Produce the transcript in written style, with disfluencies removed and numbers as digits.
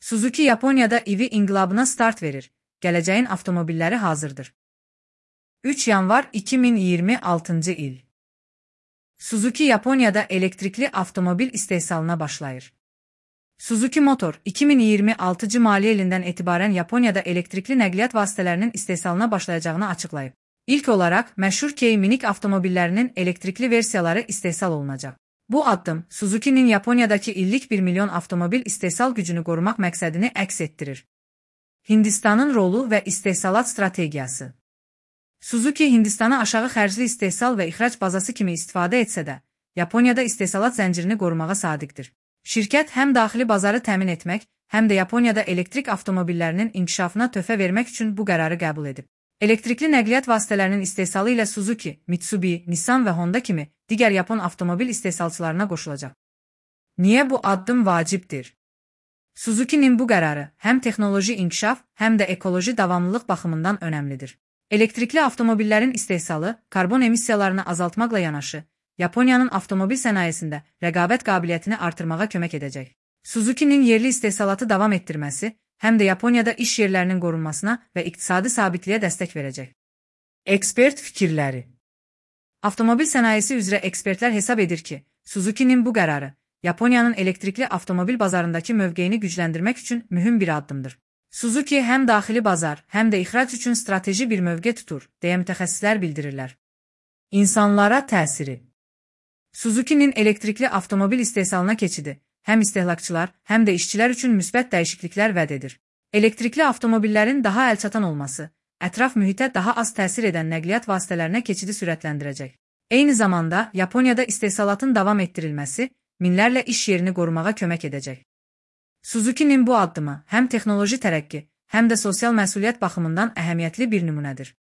Suzuki Yaponiyada EV inqilabına start verir. Gələcəyin avtomobilləri hazırdır. 3 yanvar 2026 il. Suzuki Yaponiyada elektrikli avtomobil istehsalına başlayır. Suzuki Motor 2026 maliyyə ilindən etibarən Yaponiyada elektrikli nəqliyyat vasitələrinin istehsalına başlayacağını açıqlayıb. İlk olaraq məşhur Kei minik avtomobillərinin elektrikli versiyaları istehsal olunacaq. Bu addım Suzuki'nin Yaponiyadakı illik 1 milyon avtomobil istehsal gücünü qorumaq məqsədini əks etdirir. Hindistanın rolu və istehsalat strategiyası. Suzuki Hindistanı aşağı xərcli istehsal və ixrac bazası kimi istifadə etsə də, Yaponiyada istehsalat zəncirini qorumağa sadiqdir. Şirkət həm daxili bazarı təmin etmək, həm də Yaponiyada elektrik avtomobillərinin inkişafına töhfə vermək üçün bu qərarı qəbul edib. Elektrikli nəqliyyat vasitələrinin istehsalı ilə Suzuki, Mitsubishi, Nissan və Honda kimi digər Yapon avtomobil istehsalçılarına qoşulacaq. Niyə bu addım vacibdir? Suzuki'nin bu qərarı həm texnoloji inkişaf, həm də ekoloji davamlılıq baxımından önəmlidir. Elektrikli avtomobillərin istehsalı karbon emissiyalarını azaltmaqla yanaşı, Yaponiyanın avtomobil sənayesində rəqabət qabiliyyətini artırmağa kömək edəcək. Suzuki'nin yerli istehsalatı davam etdirməsi, həm də Yaponiyada iş yerlərinin qorunmasına və iqtisadi sabitliyə dəstək verəcək. Ekspert fikirləri. Avtomobil sənayesi üzrə ekspertlər hesab edir ki, Suzuki'nin bu qərarı Yaponiyanın elektrikli avtomobil bazarındakı mövqeyini gücləndirmək üçün mühüm bir addımdır. Suzuki həm daxili bazar, həm də ixrac üçün strateji bir mövqe tutur, deyə mütəxəssislər bildirirlər. İnsanlara təsiri. Suzuki'nin elektrikli avtomobil istehsalına keçidi həm istehlakçılar, həm də işçilər üçün müsbət dəyişikliklər vəd edir. Elektrikli avtomobillərin daha əlçatan olması, ətraf mühitə daha az təsir edən nəqliyyat vasitələrinə keçidi sürətləndirəcək. Eyni zamanda Yaponiyada istehsalatın davam etdirilməsi minlərlə iş yerini qorumağa kömək edəcək. Suzuki'nin bu addımı həm texnoloji tərəqqi, həm də sosial məsuliyyət baxımından əhəmiyyətli bir nümunədir.